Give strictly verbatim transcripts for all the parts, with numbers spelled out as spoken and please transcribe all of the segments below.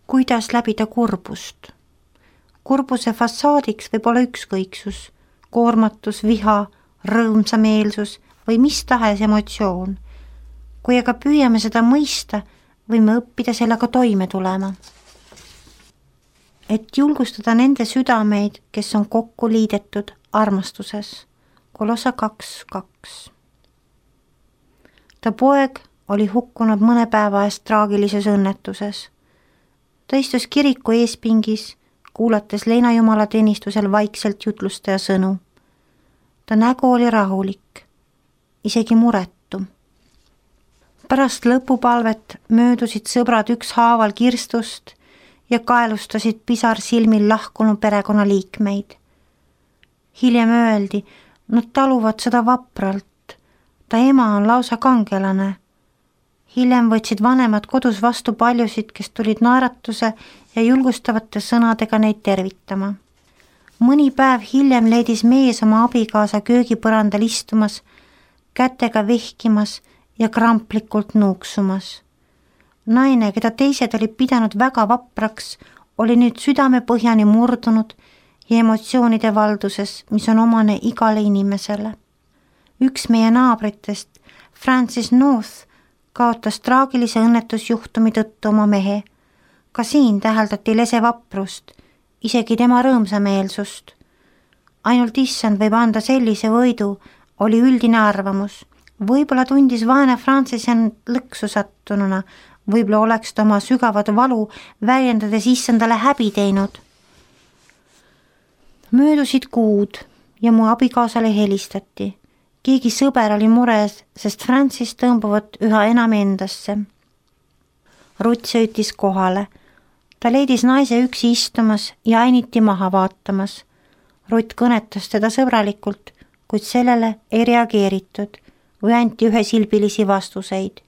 Kuidas läbida kurbust? Kurbuse fassaadiks võib olla ükskõiksus, koormatus, viha, rõõmsameelsus või mis tahes emotsioon. Kui aga püüame seda mõista, võime õppida sellega toime tulema. Et julgustada nende südameid, kes on kokku liidetud armastuses. Kolossa kaks kaks. Ta poeg oli hukkunud mõne päeva eest traagilises õnnetuses. Ta istus kiriku eespingis, kuulates leinajumala teenistusel vaikselt jutlustaja sõnu. Ta nägu oli rahulik, isegi muretu. Pärast lõpupalvet möödusid sõbrad ükshaaval kirstust ja kaelustasid pisar silmil lahkunud perekonnaliikmeid. Hiljem öeldi, nad taluvad seda vapralt. Ta ema on lausa kangelane. Hiljem võtsid vanemad kodus vastu paljusid, kes tulid naeratuse ja julgustavate sõnadega neid tervitama. Mõni päev hiljem leidis mees oma abikaasa köögipõrandal istumas, kätega vihkimas ja kramplikult nuuksumas. Naine, keda teised olid pidanud väga vapraks, oli nüüd südame põhjani murdunud ja emotsioonide valduses, mis on omane igale inimesele. Üks meie naabritest, Francis North, kaotas traagilise õnnetusjuhtumi tõttu oma mehe. Ka siin täheldati lese vaprust, isegi tema rõõmsameelsust. Ainult issand võib anda sellise võidu, oli üldine arvamus. Võib-olla tundis vaene Francis end lõksu sattununa, võib-olla oleks ta oma sügavat valu väljendades issandale häbi teinud. Möödusid kuud ja mu abikaasale helistati. Keegi sõber oli mures, sest Francis tõmbuvad üha enam endasse. Rutt sõitis kohale. Ta leidis naise üksi istumas ja ainiti maha vaatamas. Rutt kõnetas teda sõbralikult, kuid sellele ei reageeritud või anti ühesilbilisi vastuseid.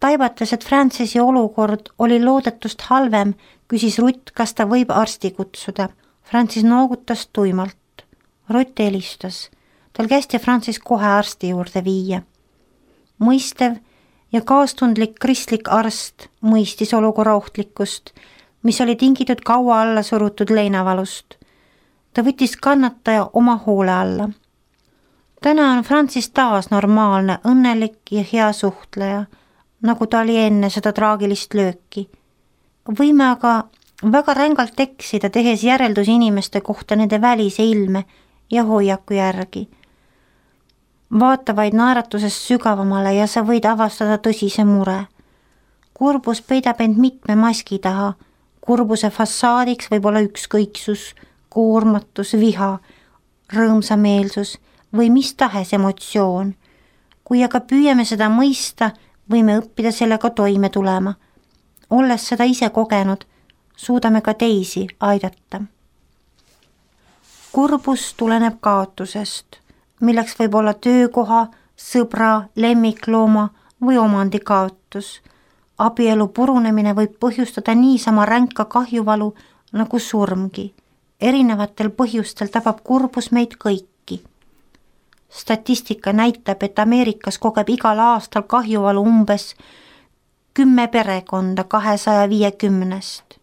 Taibates, et Francisi olukord oli loodetust halvem, küsis Rutt, kas ta võib arsti kutsuda. Francis noogutas tuimalt. Rutt helistas. Tal kästi Francis kohe arsti juurde viia. Mõistev ja kaastundlik kristlik arst mõistis olukorra ohtlikkust, mis oli tingitud kaua alla surutud leinavalust. Ta võttis kannataja oma hoole alla. Täna on Francis taas normaalne, õnnelik ja hea suhtleja, nagu ta oli enne seda traagilist lööki. Võime aga väga rängalt eksida, tehes järeldus inimeste kohta nende välise ilme ja hoiaku järgi. Vaata vaid naeratusest sügavamale ja sa võid avastada tõsise mure. Kurbus peidab end mitme maski taha. Kurbuse fassaadiks võib olla ükskõiksus, koormatus, viha, rõõmsameelsus või mis tahes emotsioon. Kui aga püüame seda mõista, võime õppida sellega toime tulema. Olles seda ise kogenud, suudame ka teisi aidata. Kurbus tuleneb kaotusest, milleks võib olla töökoha, sõbra, lemmiklooma või omandi kaotus. Abielu purunemine võib põhjustada niisama ränka kahjuvalu nagu surmgi. Erinevatel põhjustel tabab kurbus meid kõiki. Statistika näitab, et Ameerikas kogeb igal aastal kahjuvalu umbes kümme perekonda kahesaja viiekümnest.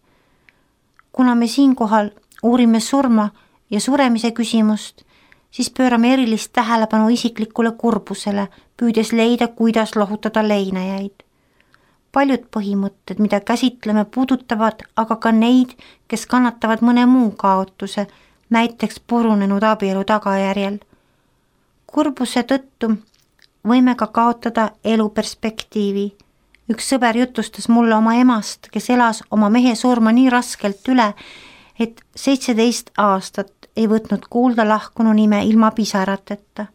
Kuna me siinkohal uurime surma ja suremise küsimust, siis pöörame erilist tähelepanu isiklikule kurbusele, püüdes leida, kuidas lohutada leinajaid. Paljud põhimõtted, mida käsitleme, puudutavad aga ka neid, kes kannatavad mõne muu kaotuse, näiteks purunenud abielu tagajärjel. Kurbuse tõttu võime ka kaotada eluperspektiivi. Üks sõber jutustas mulle oma emast, kes elas oma mehe surma nii raskelt üle, et seitseteist aastat ei võtnud kuulda lahkunu nime ilma pisarateta.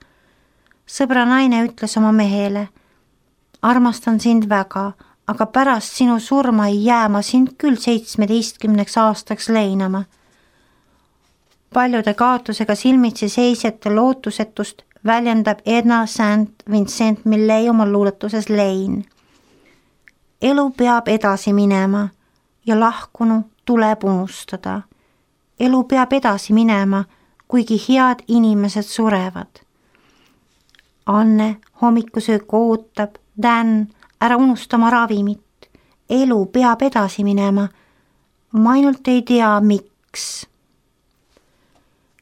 Sõbra naine ütles oma mehele, armastan sind väga, aga pärast sinu surma ei jää ma sind küll seitsmeteistkümneks aastaks leinama. Paljude kaotusega silmitsi seisjate lootusetust väljendab Edna Saint Vincent Millay oma luuletuses Lein. Elu peab edasi minema ja lahkunu tuleb unustada. Elu peab edasi minema, kuigi head inimesed surevad. Anne hommikusöök ootab, Dan, ära unustama ravimit. Elu peab edasi minema, ma ainult ei tea, miks.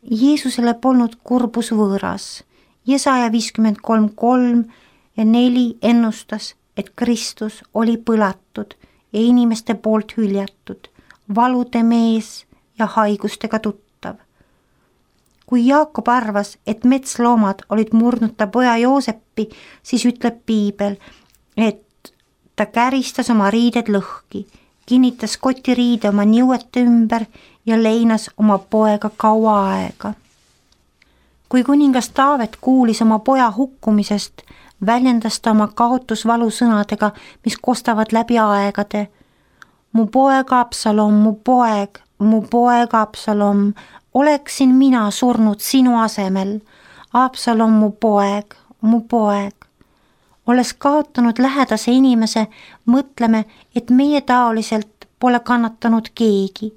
Jeesusele polnud kurbus võõras. Jesaja viiskümmend kolm kolm ja neli ennustas, et Kristus oli põlatud ja inimeste poolt hüljatud, valude mees ja haigustega tuttav. Kui Jaakob arvas, et metsloomad olid murdnud ta poja Jooseppi, siis ütleb piibel, et ta käristas oma riided lõhki, kinnitas kotiriide oma niuete ümber ja leinas oma poega kaua aega. Kui kuningas Taavet kuulis oma poja hukkumisest, väljendas ta oma kaotusvalu sõnadega, mis kostavad läbi aegade. Mu poeg Absalom, mu poeg, mu poeg Absalom, oleksin mina surnud sinu asemel. Absalom, mu poeg, mu poeg. Olles kaotanud lähedase inimese, mõtleme, et meie taoliselt pole kannatanud keegi,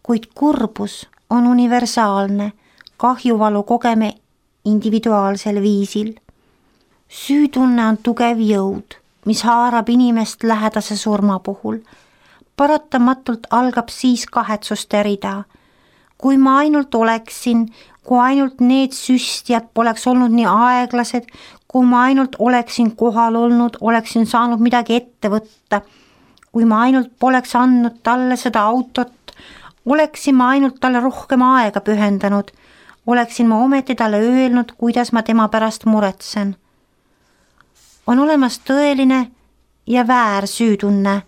kuid kurbus on universaalne, kahjuvalu kogeme individuaalsel viisil. Süütunne on tugev jõud, mis haarab inimest lähedase surma puhul. Paratamatult algab siis kahetsuste rida. Kui ma ainult oleksin, kui ainult need süstjad poleks olnud nii aeglased, kui ma ainult oleksin kohal olnud, oleksin saanud midagi ette võtta, kui ma ainult poleks andnud talle seda autot, oleksin ma ainult talle rohkem aega pühendanud, oleksin ma ometi talle öelnud, kuidas ma tema pärast muretsen. On olemas tõeline ja väär süütunne.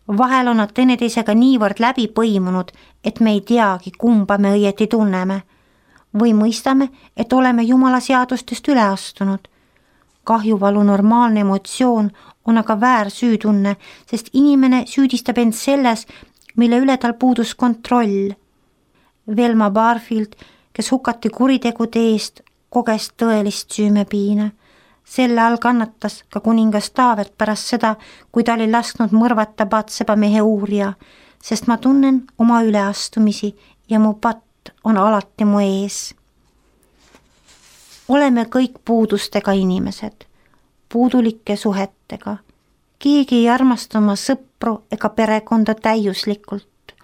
Vahel on nad teineteisega niivõrd läbi põimunud, et me ei teagi, kumba me õieti tunneme. Või mõistame, et oleme Jumala seadustest üle astunud. Kahjuvalu normaalne emotsioon on aga väär süütunne, sest inimene süüdistab end selles, mille üle tal puudus kontroll. Velma Barfield, kes hukati kuritegude eest, koges tõelist süümepiina. Selle all kannatas ka kuningas Taavet pärast seda, kui ta oli lasknud mõrvata Batseba mehe uurija, sest ma tunnen oma üleastumisi ja mu patt on alati mu ees. Oleme kõik puudustega inimesed, puudulike suhetega. Keegi ei armasta oma sõpru ega perekonda täiuslikult.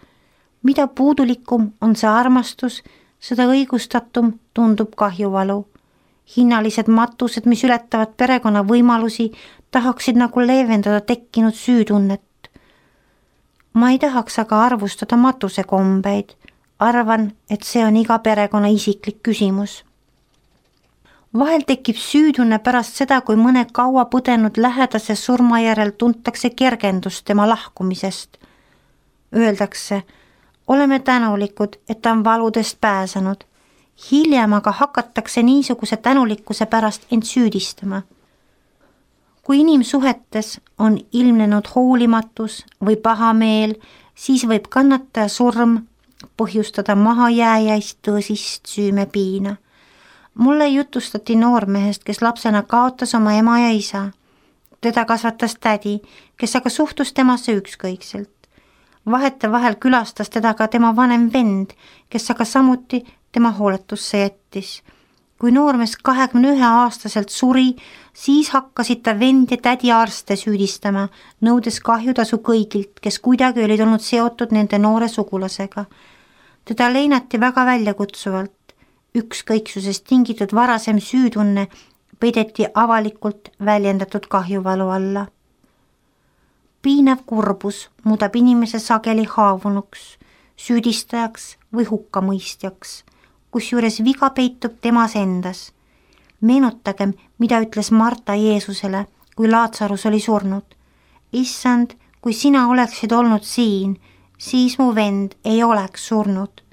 Mida puudulikum on see armastus, seda õigustatum tundub kahjuvalu. Hinnalised matused, mis ületavad perekonna võimalusi, tahaksid nagu leevendada tekkinud süütunnet. Ma ei tahaks aga arvustada matusekombeid. Arvan, et see on iga perekonna isiklik küsimus. Vahel tekib süütunne pärast seda, kui mõne kaua põdenud lähedase surma järel tuntakse kergendust tema lahkumisest. Öeldakse, oleme tänulikud, et ta on valudest pääsenud. Hiljem aga hakatakse niisuguse tänulikkuse pärast end süüdistama. Kui inimsuhetes on ilmnenud hoolimatus või pahameel, siis võib kannataja surm põhjustada mahajääjaist tõsist süümepiina. Mulle jutustati noormehest, kes lapsena kaotas oma ema ja isa. Teda kasvatas tädi, kes aga suhtus temasse ükskõikselt. Vahete vahel külastas teda ka tema vanem vend, kes aga samuti tema hooletusse jättis. Kui noormees kahekümne ühe aastaselt suri, siis hakkasid ta vend ja tädi arste süüdistama, nõudes kahjutasu kõigilt, kes kuidagi olid olnud seotud nende noore sugulasega. Teda leinati väga väljakutsuvalt. Ükskõiksusest tingitud varasem süütunne peideti avalikult väljendatud kahjuvalu alla. Piinav kurbus muudab inimese sageli haavunuks, süüdistajaks või hukkamõistjaks, kusjuures viga peitub temas endas. Meenutagem, mida ütles Marta Jeesusele, kui Laatsarus oli surnud. Issand, kui sina oleksid olnud siin, siis mu vend ei oleks surnud.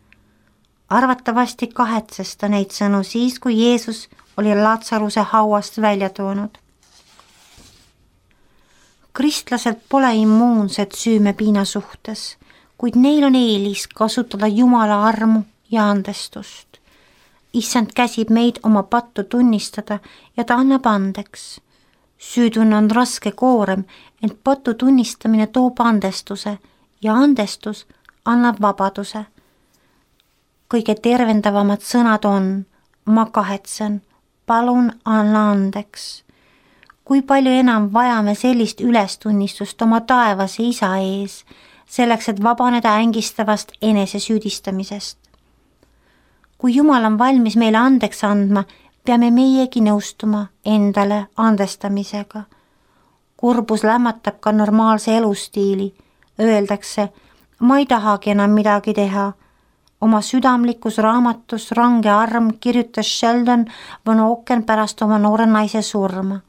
Arvatavasti kahetses ta neid sõnu siis, kui Jeesus oli Laatsaruse hauast välja toonud. Kristlased pole immuunsed süümepiina suhtes, kuid neil on eelis kasutada Jumala armu ja andestust. Issand käsib meid oma pattu tunnistada ja ta annab andeks. Süütunne on raske koorem, ent pattu tunnistamine toob andestuse ja andestus annab vabaduse. Kõige tervendavamad sõnad on, ma kahetsen, palun anna andeks. Kui palju enam vajame sellist ülestunnistust oma taevase isa ees, selleks, et vabaneda ängistavast enesesüüdistamisest. kui Jumal on valmis meile andeks andma, peame meiegi nõustuma endale andestamisega. Kurbus lämmatab ka normaalse elustiili. Öeldakse, ma ei tahagi enam midagi teha. Oma südamlikus raamatus Range arm kirjutas Sheldon Van Auken pärast oma noore naise surma.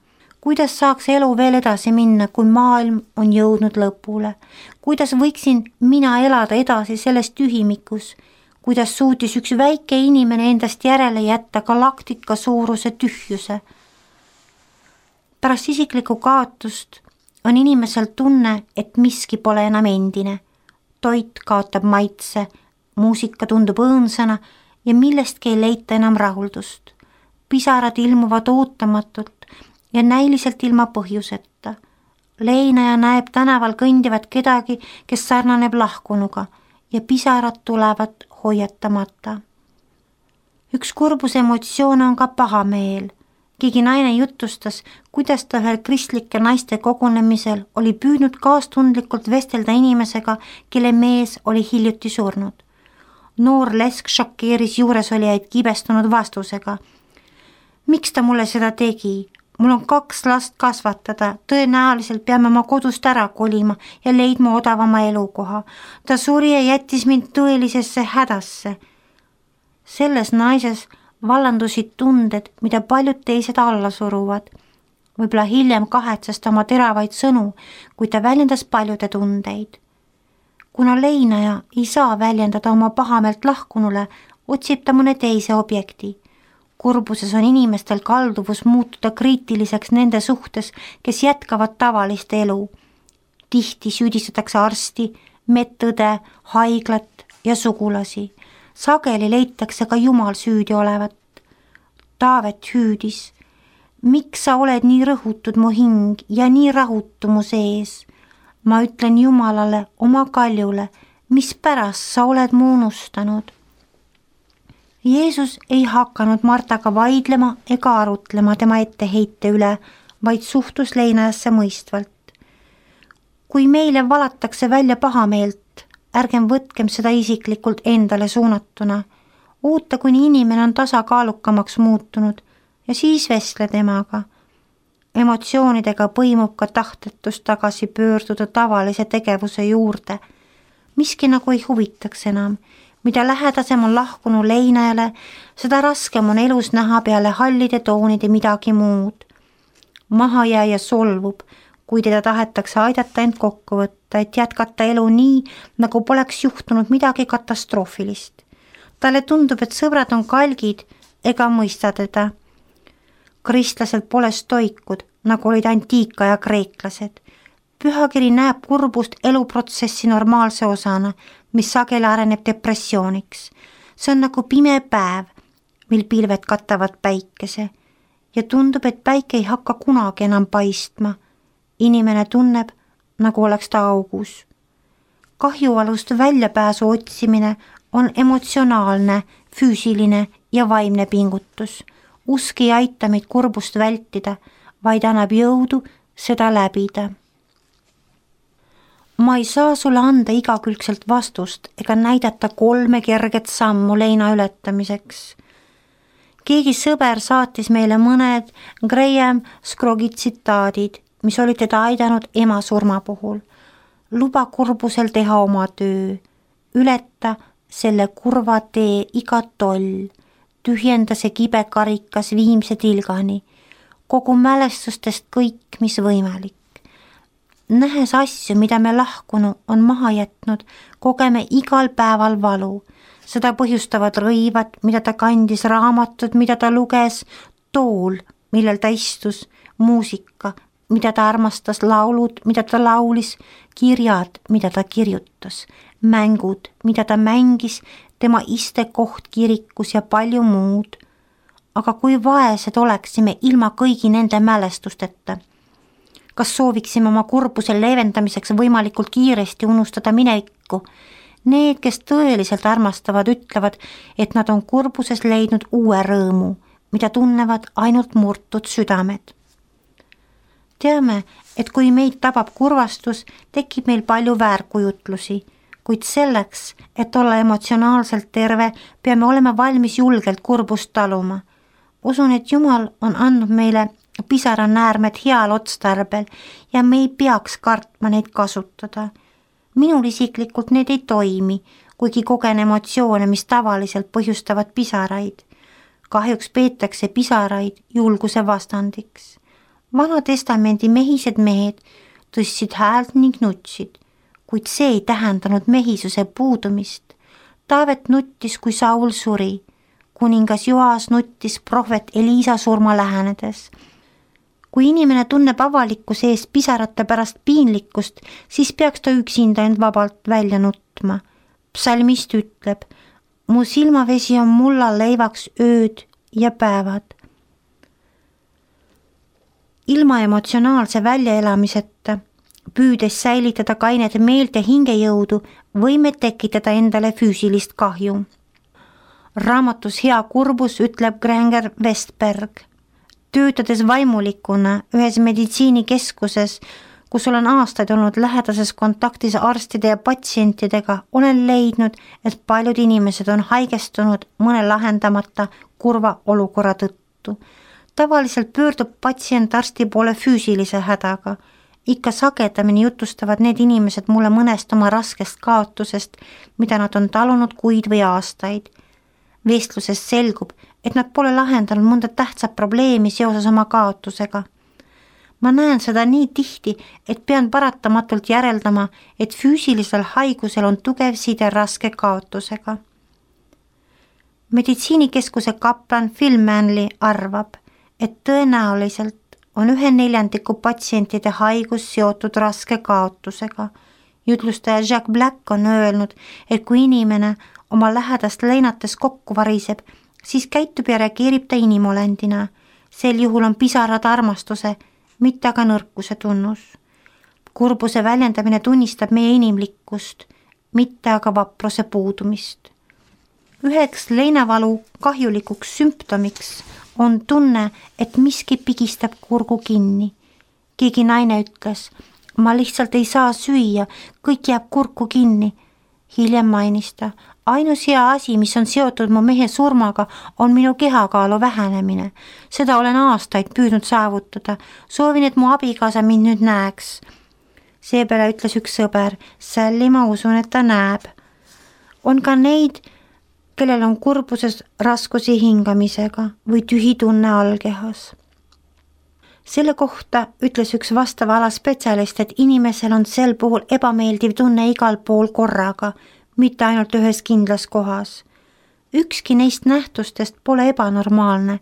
Kuidas saaks elu veel edasi minna, kui maailm on jõudnud lõpule? Kuidas võiksin mina elada edasi selles tühimikus? Kuidas suutis üks väike inimene endast järele jätta galaktika suuruse tühjuse? Pärast isiklikku kaotust on inimesel tunne, et miski pole enam endine. Toit kaotab maitse, muusika tundub õõnsana ja millestki ei leita enam rahuldust. Pisarad ilmuvad ootamatult ja näiliselt ilma põhjuseta. Leinaja näeb tänaval kõndivat kedagi, kes sarnaneb lahkunuga ja pisarad tulevad hoiatamata. Üks kurbuse emotsioon on ka pahameel. Keegi naine jutustas, kuidas ta ühel kristlike naiste kogunemisel oli püüdnud kaastundlikult vestelda inimesega, kelle mees oli hiljuti surnud. Noor lesk šokeeris juuresolijaid kibestunud vastusega. Miks ta mulle seda tegi? Mul on kaks last kasvatada, tõenäoliselt peame ma kodust ära kolima ja leidma odavama elukoha. Ta suri ja jättis mind tõelisesse hädasse. Selles naises vallandusid tunded, mida paljud teised alla suruvad. Võib-olla hiljem kahetsest oma teravaid sõnu, kui ta väljendas paljude tundeid. Kuna leinaja ei saa väljendada oma pahameelt lahkunule, otsib ta mõne teise objekti. Kurbuses on inimestel kalduvus muutuda kriitiliseks nende suhtes, kes jätkavad tavalist elu. Tihti süüdistatakse arsti, medõde, haiglat ja sugulasi. Sageli leitakse ka Jumal süüdi olevat. Taavet hüüdis. Miks sa oled nii rõhutud mu hing ja nii rahutu mu sees? Ma ütlen Jumalale, oma kaljule, mis pärast sa oled mu unustanud? Jeesus ei hakanud Martaga vaidlema ega arutlema tema etteheite üle, vaid suhtus leinajasse mõistvalt. Kui meile valatakse välja pahameelt, ärgem võtkem seda isiklikult endale suunatuna. Oota, kuni inimene on tasakaalukamaks muutunud ja siis vestle temaga. Emotsioonidega põimub ka tahtetus tagasi pöörduda tavalise tegevuse juurde. Miski nagu ei huvitaks enam. Mida lähedasem on lahkunu leinajale, seda raskem on elus näha peale hallide toonide midagi muud. Mahajääja solvub, kui teda tahetakse aidata end kokku võtta, et jätkata elu nii, nagu poleks juhtunud midagi katastroofilist. Talle tundub, et sõbrad on kalgid ega mõista teda. Kristlased pole stoikud, nagu olid antiikaja kreeklased. Pühakiri näeb kurbust eluprotsessi normaalse osana, mis sageli areneb depressiooniks. See on nagu pime päev, mil pilved katavad päikese ja tundub, et päike ei hakka kunagi enam paistma. Inimene tunneb, nagu oleks ta augus. Kahjualust väljapääsu otsimine on emotsionaalne, füüsiline ja vaimne pingutus. Usk ei aita meid kurbust vältida, vaid annab jõudu seda läbida. Ma ei saa sulle anda igakülgselt vastust ega näidata kolme kerget sammu leina ületamiseks. Keegi sõber saatis meile mõned Graham Scroggi tsitaadid, mis olid teda aidanud ema surma puhul. Luba kurbusel teha oma töö, ületa selle kurva tee iga toll, tühjenda see kibe karikas viimse tilgani, kogu mälestustest kõik, mis võimalik. Nähes asju, mida me lahkunu on maha jätnud, kogeme igal päeval valu. Seda põhjustavad rõivad, mida ta kandis, raamatud, mida ta luges, tool, millel ta istus, muusika, mida ta armastas, laulud, mida ta laulis, kirjad, mida ta kirjutas, mängud, mida ta mängis, tema istekoht kirikus ja palju muud. Aga kui vaesed oleksime ilma kõigi nende mälestusteta? Kas sooviksime oma kurbuse leevendamiseks võimalikult kiiresti unustada minevikku? Need, kes tõeliselt armastavad, ütlevad, et nad on kurbuses leidnud uue rõõmu, mida tunnevad ainult murtud südamed. teame, et kui meid tabab kurvastus, tekib meil palju väärkujutlusi, kuid selleks, et olla emotsionaalselt terve, peame olema valmis julgelt kurbust taluma. Usun, et Jumal on andnud meile pisaranäärmed heal otstarbel ja me ei peaks kartma neid kasutada. Minul isiklikult need ei toimi, kuigi kogen emotsioone, mis tavaliselt põhjustavad pisaraid. Kahjuks peetakse pisaraid julguse vastandiks. Vana testamendi mehised mehed tõstsid häält ning nutsid, kuid see ei tähendanud mehisuse puudumist. Taavet nuttis, kui Saul suri. Kuningas Joas nuttis prohvet Eliisa surma lähenedes. Kui inimene tunneb avalikkuse eest pisarate pärast piinlikkust, siis peaks ta üksinda end vabalt välja nutma. Psalmist ütleb, mu silmavesi on mulla leivaks ööd ja päevad. Ilma emotsionaalse väljaelamiseta, püüdes säilitada kainet meelt ja hingejõudu, võime tekitada endale füüsilist kahju. Raamatus Hea kurbus ütleb Granger Westberg, töötades vaimulikuna ühes meditsiinikeskuses, kus olen aastaid olnud lähedases kontaktis arstide ja patsientidega, olen leidnud, et paljud inimesed on haigestunud mõne lahendamata kurva olukorra tõttu. Tavaliselt pöördub patsient arsti poole füüsilise hädaga. Ikka sagedamini jutustavad need inimesed mulle mõnest oma raskest kaotusest, mida nad on talunud kuid või aastaid. Vestlusest selgub, et nad pole lahendanud mõnda tähtsat probleemi seoses oma kaotusega. Ma näen seda nii tihti, et pean paratamatult järeldama, et füüsilisel haigusel on tugev side raske kaotusega. Meditsiinikeskuse kaplan Phil Manley arvab, et tõenäoliselt on ühe neljandiku patsientide haigus seotud raske kaotusega. Jutlustaja Jack Black on öelnud, et kui inimene oma lähedast leinates kokku variseb, siis käitub ja reageerib ta inimolendina. Sel juhul on pisarad armastuse, mitte aga nõrkuse tunnus. Kurbuse väljendamine tunnistab meie inimlikkust, mitte aga vapruse puudumist. Üheks leinavalu kahjulikuks sümptomiks on tunne, et miski pigistab kurgu kinni. Keegi naine ütles, ma lihtsalt ei saa süüa, kõik jääb kurku kinni. Hiljem mainis ta, ainus hea asi, mis on seotud mu mehe surmaga, on minu kehakaalu vähenemine. Seda olen aastaid püüdnud saavutada. Soovin, et mu abikaasa mind nüüd näeks. Seepeale ütles üks sõber, Sally, ma usun, et ta näeb. On ka neid, kellel on kurbuses raskusi hingamisega või tühi tunne allkehas. Selle kohta ütles üks vastava ala spetsialist, et inimesel on sel puhul ebameeldiv tunne igal pool korraga, mitte ainult ühes kindlas kohas. Ükski neist nähtustest pole ebanormaalne.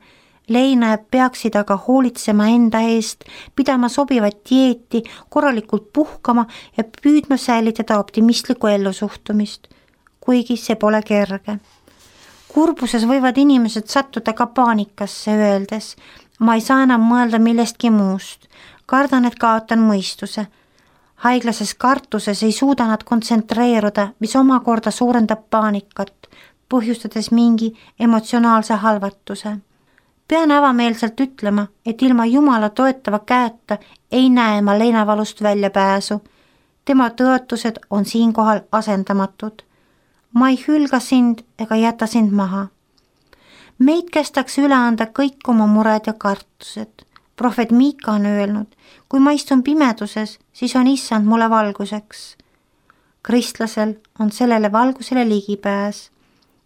Leinajad peaksid aga hoolitsema enda eest, pidama sobivat dieeti, korralikult puhkama ja püüdma säilitada optimistlikku ellusuhtumist, kuigi see pole kerge. Kurbuses võivad inimesed sattuda ka paanikasse öeldes, ma ei saa enam mõelda millestki muust, kardan, et kaotan mõistuse. Haiglases kartuses ei suuda nad kontsentreeruda, mis omakorda suurendab paanikat, põhjustades mingi emotsionaalse halvatuse. Pean avameelselt ütlema, et ilma Jumala toetava käeta ei näe ma leinavalust väljapääsu. Tema tõotused on siinkohal asendamatud. Ma ei hülga sind ega jäta sind maha. Meid kästakse üle anda kõik oma mured ja kartused. Prohvet Miika on öelnud, kui ma istun pimeduses, siis on issand mulle valguseks. Kristlasel on sellele valgusele ligipääs.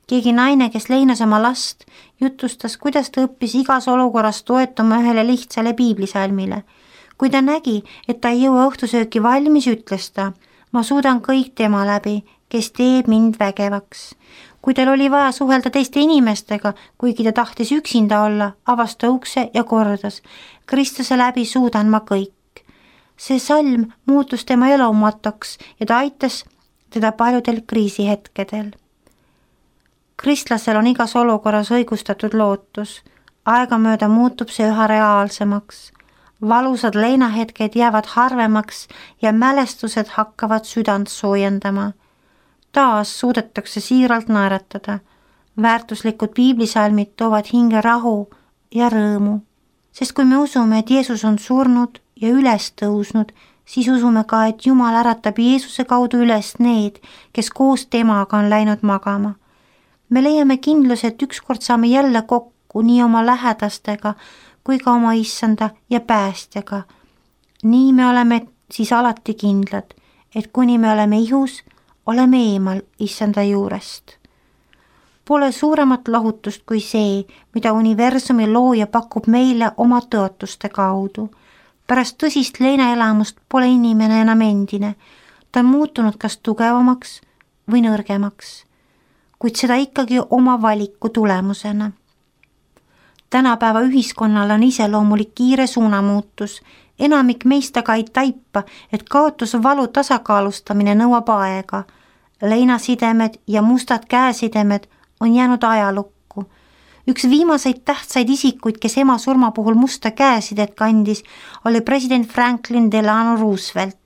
Keegi naine, kes leinas oma last, jutustas, kuidas ta õppis igas olukorras toetuma ühele lihtsale piiblisalmile. Kui ta nägi, et ta ei jõua õhtusööki valmis, ütles ta, ma suudan kõik tema läbi, kes teeb mind vägevaks. Kui tal oli vaja suhelda teiste inimestega, kuigi ta tahtis üksinda olla, avas ta ukse ja kordas, Kristuse läbi suudan ma kõik. See salm muutus tema elumatoks ja ta aitas teda paljudel kriisihetkedel. Kristlasel on igas olukorras õigustatud lootus. Aegamööda muutub see üha reaalsemaks. Valusad leinahetked jäävad harvemaks ja mälestused hakkavad südant soojendama. Taas suudetakse siiralt naeratada. Väärtuslikud piiblisalmid toovad hinge rahu ja rõõmu. Sest kui me usume, et Jeesus on surnud ja üles tõusnud, siis usume ka, et Jumal äratab Jeesuse kaudu üles need, kes koos temaga on läinud magama. me leiame kindluse, et ükskord saame jälle kokku nii oma lähedastega kui ka oma issanda ja päästjaga. nii me oleme siis alati kindlad, et kuni me oleme ihus, oleme eemal issanda juurest. Pole suuremat lohutust kui see, mida universumi looja pakub meile oma tõotuste kaudu. Pärast tõsist leinaelamust pole inimene enam endine, ta on muutunud kas tugevamaks või nõrgemaks, kuid seda ikkagi oma valiku tulemusena. Tänapäeva ühiskonnal on iseloomulik kiire suunamuutus, enamik meist aga ei taipa, et kaotusvalu tasakaalustamine nõuab aega. Leinasidemed ja mustad käesidemed on jäänud ajalukku. Üks viimaseid tähtsaid isikuid, kes ema surma puhul musta käesidet kandis, oli president Franklin Delano Roosevelt.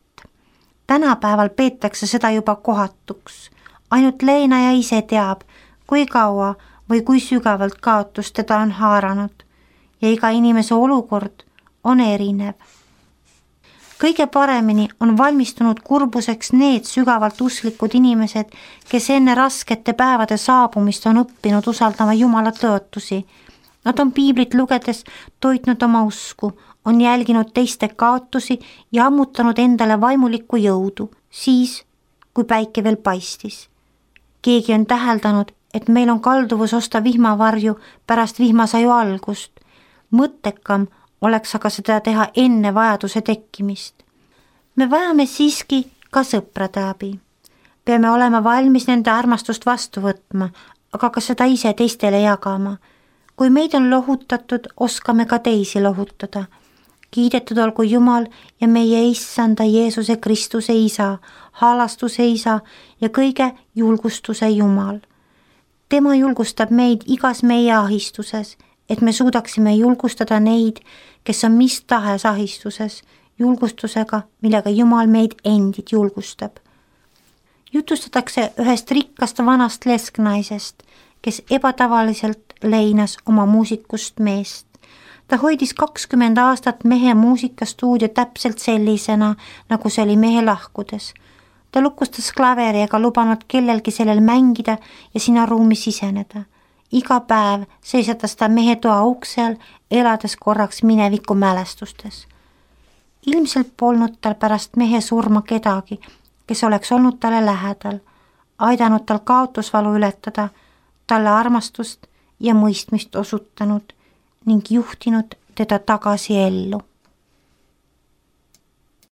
Tänapäeval peetakse seda juba kohatuks. Ainult leinaja ise teab, kui kaua või kui sügavalt kaotus teda on haaranud ja iga inimese olukord on erinev. Kõige paremini on valmistunud kurbuseks need sügavalt usklikud inimesed, kes enne raskete päevade saabumist on õppinud usaldama Jumala tõotusi. Nad on piiblit lugedes toitnud oma usku, on jälginud teiste kaotusi ja ammutanud endale vaimulikku jõudu, siis kui päike veel paistis. Keegi on täheldanud, et meil on kalduvus osta vihmavarju pärast vihmasaju algust. Mõttekam oleks aga seda teha enne vajaduse tekkimist. Me vajame siiski ka sõprade abi. Peame olema valmis nende armastust vastu võtma, aga ka seda ise teistele jagama. Kui meid on lohutatud, oskame ka teisi lohutada. Kiidetud olgu Jumal ja meie issanda Jeesuse Kristuse isa, halastuse isa ja kõige julgustuse Jumal. Tema julgustab meid igas meie ahistuses, et me suudaksime julgustada neid, kes on mis tahes ahistuses, julgustusega, millega Jumal meid endid julgustab. Jutustatakse ühest rikkast vanast lesknaisest, kes ebatavaliselt leinas oma muusikust meest. Ta hoidis kakskümmend aastat mehe muusikastuudio täpselt sellisena, nagu see oli mehe lahkudes. Ta lukustas klaveri ega lubanud kellelgi sellel mängida ja sinna ruumi siseneda. Iga päev seisatas ta mehe toa uksel, elades korraks mineviku mälestustes. Ilmselt polnud tal pärast mehe surma kedagi, kes oleks olnud talle lähedal, aidanud tal kaotusvalu ületada, talle armastust ja mõistmist osutanud ning juhtinud teda tagasi ellu.